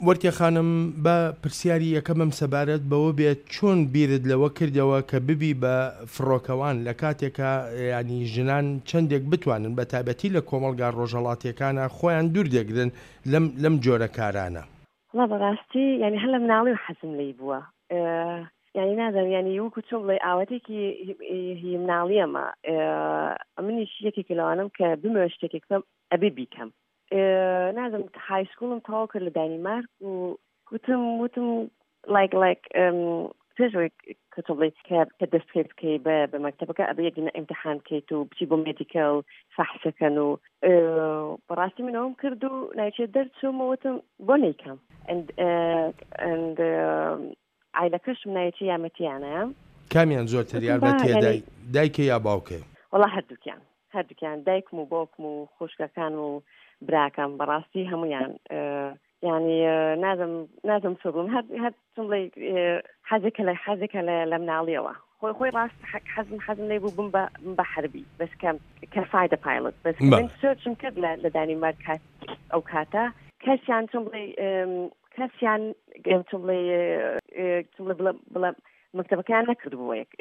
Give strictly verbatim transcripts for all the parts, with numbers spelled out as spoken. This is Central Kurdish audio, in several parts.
وەرتێ خانم، با پرسیاری یەکەمم سەبارەت بەوە بێت، چۆن بیرت لەوە کردەوە کە ببی بە فڕۆکەوان لە کاتێکا یانی ژنان چەندێک بتوانن بە تایبەتی لە کۆمەڵگا ڕۆژهەڵاتیەکانا خۆیان دوور دەگرن لەم لەم جۆرە کارانە؟ وەڵا بەڕاستی یانی هەر لە مناڵیەوە حەزم لێی بووە، یانی نازانم یانی وەکو چۆن بڵێ ئاواتێکی هی مناڵیەمە، منیش یەکێکە لەوانەم کە بمەوێ شتێکێک بکەم ئەبێ بیکەم. نازم های سکوڵم تەواو کرد لە دانیمارک و وتم وتم لایک لایک پێش ئەوەی کە تۆ بڵێی کە کە دەست پێ بکەی بە بە مەکتەبەکە ئەبێ یەک دونە ئیمتحان بکەیت و بچی بۆ مێدیکەل فەحسەکەن و بەڕاستی من ئەوم کرد و نایچێ دەرچووم و وتم بۆ نەیکەم and and عایلەکەشم نایچێ یارمەتیانە. کامیان زۆرتر وتم با یارمەتیە یانی دای دایکە یا باوکێ؟ وەڵا هەردووکیان هەردووکیان دایکم و باوکم و خوشکەکان و براکەم بەڕاستی هەمویان یعنی نازم نازم چۆ بڵێم هەر هەر چۆن بڵێ حەزێکە لە حەزێکە لە لە مناڵیەوە خۆی خۆی ڕاست حەزم حەزم لێ بوو بم بە بم بە حەربی بەس کە کە fighter pilot بەس کە من بەڵێ. search م کرد لە لە دانیمارک کات ئەو کاتە کەسیان چۆن بڵێ کەسیان چۆن بڵێ چۆن بڵێ بڵێ بڵێ مەکتەبەکەیان نەکردبوو یەک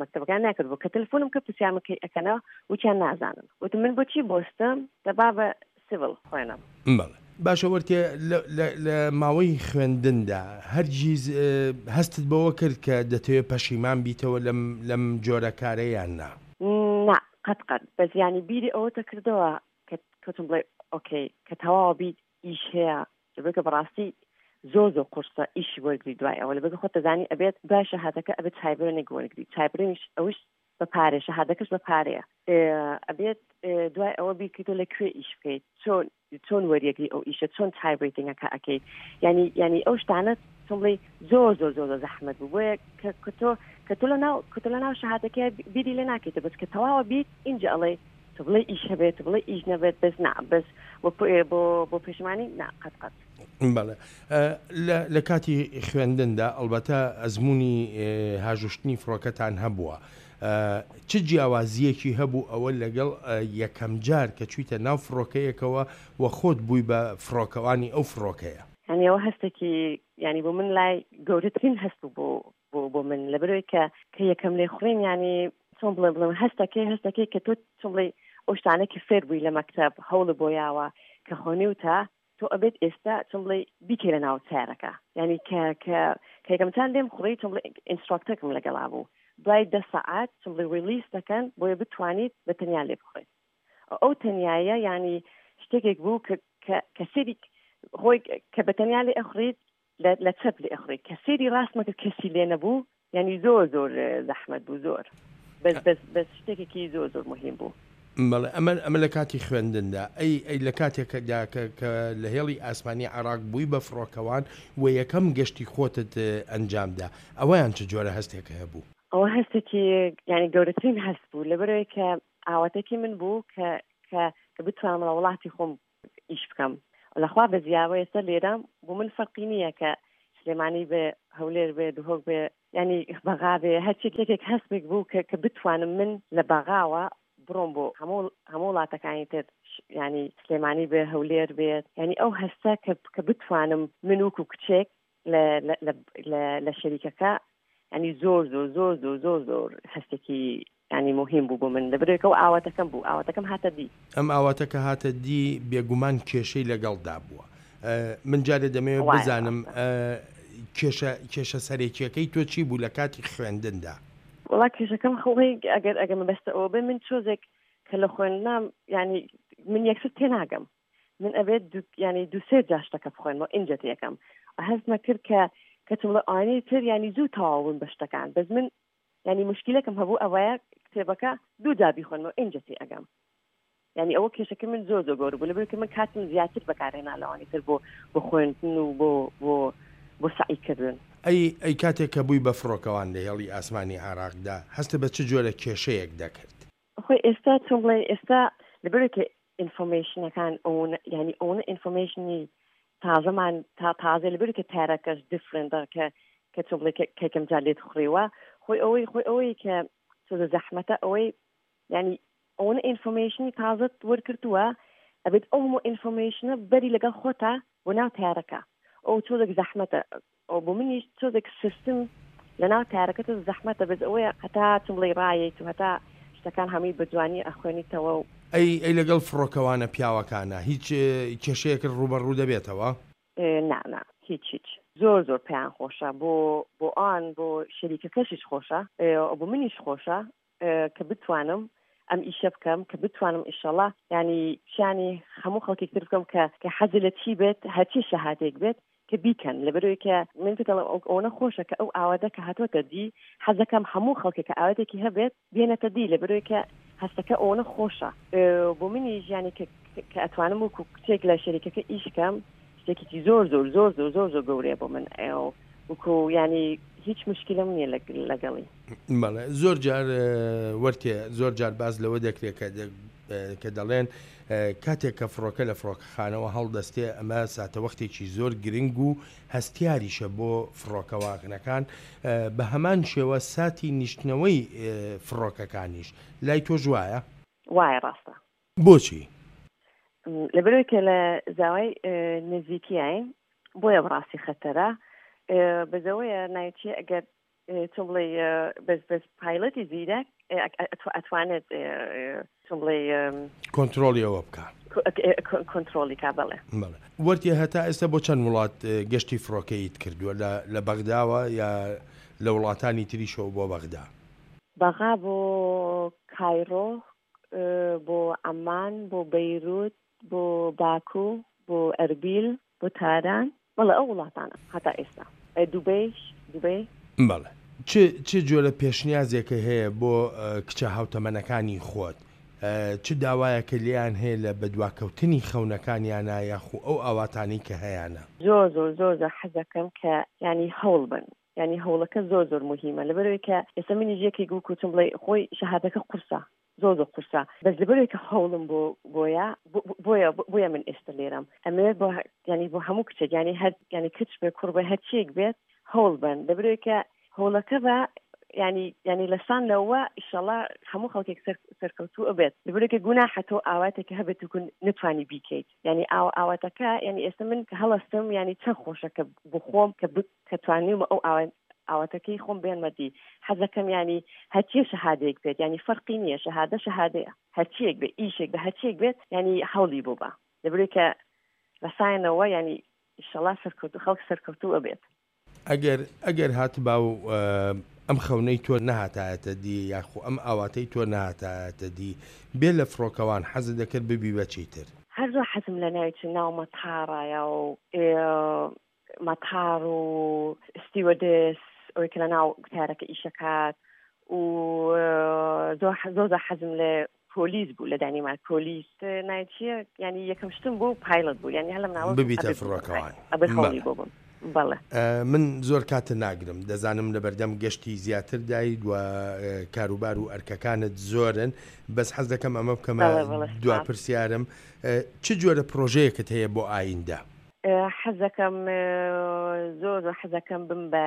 مەکتەبەکان نەکردبوو کە تەلەفۆنم کرد پرسیارم کەی ئەکەنەوە وتیان نازانم وتم من بۆچی بۆستم دەبا بە civil خوێنم. بەڵێ باشە وەرتێ لە لە لە ماوەی خوێندندا هەرگیز هەستت بەوە کرد کە دەتەوێ پەشیمان بیتەوە لەم لەم جۆرە کارە یان نا؟ نا قەت قەت بەس یانی بیری ئەوەتە کردەوە کە کەوتم بڵێ ئۆکەی کە تەواوە بیت ئیش هەیە لەبەرکە بەڕاستی زۆر زۆر قورسە ئیشی وەرگری دوای ئەوە لەبەرکە خۆت دەزانی ئەبێت دوای شەهادەکە ئەبێت تایبرێنێک وەرگری تایبرێنیش ئەوش بە پارێ شەهادەکەش بە پارەیە ئەبێت دوای ئەوە بیرکردەوە لە کوێ ئیش بکەیت چۆن چۆن وەریەگری ئەو ئیشە چۆن تایبرێتینگەکە ئەکەیت ینی ینی ئەو شتانە چۆن بڵێی زۆر زۆر زۆر زۆر زەحمەت بوو بۆیە کە کە تۆ کە تۆ لە ناو کە تۆ لە ناو شەهادەکەی بیری لێ ناکەیتەوە بەس کە تەواوە بیت ئینجا ئەڵێ تۆ بڵێ ئیش هەبێت تۆ بڵێ ئیش نەبێت بەس نا بەس بۆ بۆ بۆ پەشیمانی نا قەت قەت. بەڵێ لە لە کاتی خوێندندا ئەڵبەتە ئەزموونی هاژوشتنی فڕۆکەتان هەبووە چ جیاوازییەکی هەبوو ئەوە لەگەڵ یەکەم جار کە چوویتە ناو فڕۆکەیەکەوە و خۆت بووی بە فڕۆکەوانی ئەو فڕۆکەیە؟ یانی ئەوە هەستێکی یانی بۆ من لای گەورەترین هەست بوو بۆ بۆ بۆ من لەبەرەوەی کە کە یەکەم لێخوڕین یانی چۆن بڵێ بڵێم هەستەکەی هەستەکەی کە تۆ چۆن بڵێ ئەو شتانە کە فێر بووی لە مەکتەب هەوڵە بۆ یاوە کە خۆنیوتە تۆ ئەبێت ئێستا چۆن بڵێ بیکەی لە ناو سەیارەکە یانی کە کە کە یەکەم جار لێم خوڕی چۆن بڵێ instructor ەکم لەگەڵا بوو دوای دە سەعات چۆن بڵێ release دەکەن بۆیە بتوانیت بە تەنیا لێ بخوڕیت ئەو تەنیایە یانی شتێکێک بوو کە کە کە سەیری خۆی کە بە تەنیا لێ ئەخوڕیت لە چەپ لێ ئەخوڕیت کە سەیری ڕاستمە کرد کەسی لێ نەبوو یانی زۆر زۆر زەحمەت بوو زۆر بەس بەس بەس شتێکێکی زۆر زۆر مهم بوو. بەڵێ ئەمە ئەمە لە کاتی خوێندندا ئەی ئەی لە کاتێکدا کە کە لە هێڵی ئاسمانی عێراق بووی بە فڕۆکەوان و یەکەم گەشتی خۆتت ئەنجام دا ئەوەیان چ جۆرە هەستێک هەبوو؟ ئەوە هەستێکی یانی گەورەترین هەست بوو لەبەرئەوەی کە ئاواتێکی من بوو کە کە کە بتوانم لە وڵاتی خۆم ئیش بکەم لەخوا بەزیاوە ئێستا لێرە بۆ من فەرقی نییە کە سلێمانی بێ هەولێر بێ دهۆک بێ ینی بەغا بێ هەرچێک یەکێک هەستێک بوو کە کە بتوانم من لە بەغاوە بڕۆم بۆ هەموو هەموو وڵاتەکانی تر ینی سلێمانی بێ هەولێر بێت ینی ئەو هەستە کە کە بتوانم من وەکو کچێک لە لە لە لە شەریکەکە ینی زۆر زۆر زۆر زۆر زۆر زۆر هەستێکی ینی مهم بوو بۆ من لەبەرێکە و ئاواتەکەم بوو ئاواتەکەم هاتە دی. ئەم ئاواتە کە هاتە دی بێگومان کێشەی لەگەڵدا بووە من جارێ دەمەوێت وایە بزانم ڕاستە. کێشە کێشە سەرەکیەکەی تۆ چی بوو لە کاتی خوێندندا؟ وەڵا کێشەکەم خۆی ئەگەر ئەگەر مەبەستە ئەوە بێ من چۆزێک کە لە خوێندنام ینی من یەکسەر تێناگەم من ئەبێت دوو ینی دوو سێ جار شتەکە بخوێنمەوە ئینجا تێکەم هەستمە کرد کە کە چم بڵێ ئەوانەی تر ینی زوو تەواو بوون بە شتەکان بەس من ینی مشکلەکەم هەبوو ئەوەیە کتێبەکە دوو جار بیخوێنمەوە ئینجا تێ ئەگەم یعنی ئەوە کێشەکە من زۆر زۆر گەورە بوو لەبەر کە من کاتم زیاتر بەکارهێنا لەوانی تر بۆ بۆ خوێندن و بۆ بۆ بۆ سەعی کردن. ئەی ئەی کاتێک کە بووی بە فڕۆکەوان لە هێڵی ئاسمانی عێراقدا هەستت بە چ جۆرە کێشەیەک دەکرد؟ خۆی ئێستا چۆن بڵێ ئێستا لەبەر کە information ەکان ئەوە یعنی ئەوە information ی تازەمان تا تازە لەبەر کە تارەکەش different ە کە کە چۆن بڵێ کە یەکەم جار لێت خوڕیوە خۆی ئەوەی خۆی ئەوەی کە تۆزە زەحمەتە ئەوەی یعنی ئەوەنە information ی تازەت وەرگرتووە ئەبێت ئەو هەموو information ە بەری لەگەڵ خۆتا بۆ ناو تارەکە ئەو تۆزێک زەحمەتە ئەو بۆ منیش تۆزێک سیستم لەناو تارەکە تۆ زەحمەتە بەس ئەوەیە هەتا چم بڵێی ڕایەیت و هەتا شتەکان هەمووی بە جوانی ئەخوێنیتەوە و. ئەی ئەی لەگەڵ فڕۆکەوانە پیاوەکانا هیچ کێشەیەکت ڕووبەڕوو دەبێتەوە؟ نا نا هیچ هیچ زۆر زۆر پێیان خۆشە بۆ بۆ ئان بۆ شەریکەکەشیش خۆشە بۆ منیش خۆشە کە بتوانم ئەم ئیشە بکەم کە بتوانم ئیشەڵا ینی پیانی هەموو خەڵکێک تر بکەم کە کە حەزی لە چی بێت هەرچی شەهادێک بێت کە بیکەن لەبەرەوەی کە من پێت دەڵێم ئەوەنە خۆشە کە ئەو ئاواتە کە هاتۆتە دی حەزەکەم هەموو خەڵکێک کە ئاواتێکی هەبێت بێنێتە دی لەبەرەوەی کە هەستەکە ئەوەنە خۆشە بۆ منیش یانی کە کە ئەتوانم وەکو کچێک لە شەریکەکە ئیش کەم شتێکی زۆر زۆر زۆر زۆر زۆر زۆر گەورەیە بۆ من وەکو یانی هیچ مشکلم نییە لەگەڵی. بەڵێ زۆر جار وەرتێ زۆر جار باس لەوە دەکرێت کە کە دەڵێن کاتێک کە فڕۆکە لە فڕۆکەخانەوە هەڵدەستێ ئەمە ساتەوەختێکی زۆر گرنگ و هەستیاریشە بۆ فڕۆکەوانەکان بە هەمان شێوە ساتی نیشتنەوەی فڕۆکەکانیش لای تۆش وایە؟ وایە ڕاستە. بۆچی؟ لەبەرئەوەی کە لە زاوای نزیکیین بۆیە بەڕاستی خەتەرە بەس ئەوەیە ناوی چیە ئەگەر چۆن بڵێ بەس بەس پایلەتی زیرەک ئەتوانێت چۆن بڵێ کۆنترۆڵی ئەوە بکا کۆنترۆڵی کا بەڵێ بەڵێ وەرتێ هەتا ئێستا بۆ چەند وڵات گەشتی فڕۆکەیت کردووە لە لە بەغداوە یا لە وڵاتانی تریشەوە بۆ بەغدا؟ بەغا بۆ کایرۆ بۆ عەمان بۆ بەیروت بۆ باکو بۆ ئەربیل بۆ تاران بەڵێ ئەو وڵاتانە هەتا ئێستا دوبەیش دوبەی. بەڵێ چ چ جۆرە پێشنیازێکە هەیە بۆ کچە هاوتەمەنەکانی خۆت؟ چ داوایەکە لێیان هەیە لە بەدواکەوتنی خەونەکانیانا یاخو ئەو ئاواتانەی کە هەیانە؟ زۆر زۆر زۆر زۆر حەزەکەم کە یانی هەوڵ بەن یانی هەوڵەکە زۆر زۆر موهیمە لەبەرئەوەی کە ئێستا منیش یەکێک وەکو چۆن بڵێی خۆی شەهادەکە قورسە زۆر زۆر قورسە بەس لەبەرئەوەی کە هەوڵم بۆ بۆیە بۆیە بۆیە من ئێستا لێرەم ئەمەوێت بۆ یانی بۆ هەموو کچێک یانی هەر یانی کچ بێ کوڕ بێ هەرچیەک بێت هەوڵ بەن لەبەرئەوەی کە هەوڵەکە بە یانی یانی لە سان لەوە ئیشەڵا هەموو خەڵکێک سەر سەرکەوتوو ئەبێت لەبەرئەوەی کە گوناحە تۆ ئاواتێکە هەبێت و نەتوانی بیکەیت یانی ئاو ئاواتەکە یانی ئێستا من کە هەڵەستم یانی چەند خۆشە کە بخۆم کە کە توانیومە ئەو ئاوات ئاواتەکەی خۆم بێنمە دی حەزەکەم یانی هەرچیە شەهادەیەک بێت یانی فەرقی نییە شەهادە شەهادەیە هەرچیەک بێت ئیشێک بە هەرچیەک بێت یانی هەوڵی بۆ بە لەبەرئەوەی کە ڕەسایەنەوە یانی ئیشەڵا سەرکەوتوو خەڵک سەرکەوتوو ئەبێت. ئەگەر ئەگەر هاتبا و ئەم خەونەی تۆ نەهاتایەتە دی یاخو ئەم ئاواتەی تۆ نەهاتایەتە دی بێ لە فڕۆکەوان حەزت دەکرد ببی بە چی تر؟ هەر زۆر حەزم لە ناوی چ ناو مەتاڕایە و مەتاڕ و ستیوەدێس ئەوەی کە لە ناو تارەکە ئیشەکات و زۆر زۆر زۆر حەزم لە پۆلیس بوو لە دانیمارک پۆلیس ناوی چییە یانی یەکەم شتم بوو پایلۆت بوو یانی هەر لە مناڵەوە ببیتە ئەبێ ببم فڕۆکەوان ئەبێ خەونی بەڵێ بۆ بم بەڵێ. من زۆر کاتت ناگرم دەزانم لەبەردەم گەشتی زیاتر دایت و کاروبار و ئەرکەکانت زۆرن بەس حەز دەکەم ئەمە بکەمە بەڵێ بەڵێ دوا سپاس. پرسیارم چ جۆرە پرۆژەیەکت هەیە بۆ ئایندە؟ حەزەکەم زۆر زۆر حەزەکەم بم بە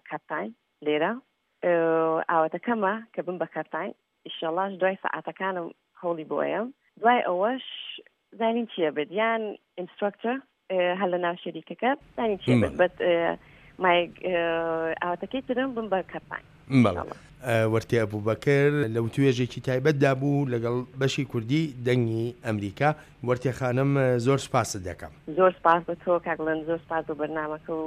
کاپتاین لێرە ئاواتەکەمە کە بم بە کاپتاین ئیشەڵاش دوای سەعاتەکانم هەوڵی بۆ ئەیەم دوای ئەوەش زانین چییە بێت یان ئینستراکتەر هەر لە ناو شەریکەکە زانین چییە بێت بەڵێ. بەت مای ئاواتەکەی ترم بم بە کاپتاین بەڵێ. ئیشەڵا. وەرتێ ئەبوبەکر لە وتوێژێکی تایبەتدا بوو لەگەڵ بەشی کوردی دەنگی ئەمریکا. وەرتێ خانم زۆر سوپاست دەکەم. زۆر سپاس بۆ تۆ کاک ڵند، زۆر سپاس بۆ بەرنامەکە و